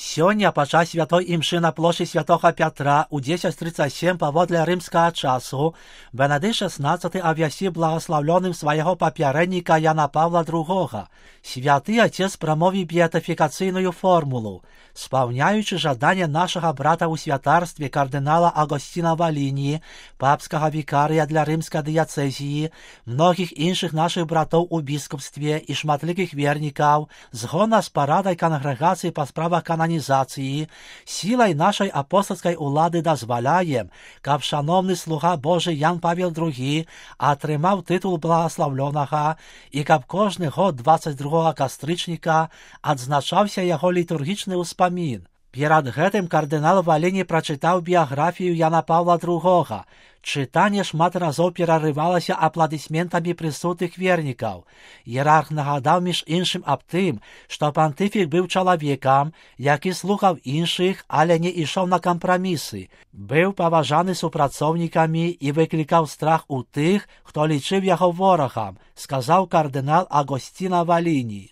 Сёння падчас святой імшы на плошчы святого Пятра у 10:37 паводле рымскага часу Бенедыкт XVI абвясціў благословленым свайго папярэдніка Яна Павла II. Святы Отец прамовіў беатыфікацыйную формулу. Спаўняючы жаданне нашага брата ў святарстве кардынала Агосціна Валіні, папскага вікарыя для рымскай дыяцэзіі, многіх іншых нашых братоў у біскупстве і шматлікіх вернікаў, згодна з парадай кангрэгацыі па справах кананізацыі, сілай нашай апостольскай улады дазваляем, каб шановны слуга Божы Ян Павел II атрымаў тытул благословленага і каб кожны год 22 кастрычніка адзначаўся яго літургічны ўспамін. Перад гэтым кардынал Валіні прачытаў біяграфію Яна Павла II. Чытанне шмат разоў перарывалася апладысментамі прысутных вернікаў. Іерарх нагадаў між іншым аб тым, што пантыфік быў чалавекам, які слухаў іншых, але не ішоў на кампрамісы, быў паважаны супрацоўнікамі і выклікаў страх у тых, хто лічыў яго ворагам, сказаў кардынал Агосціна Валіні.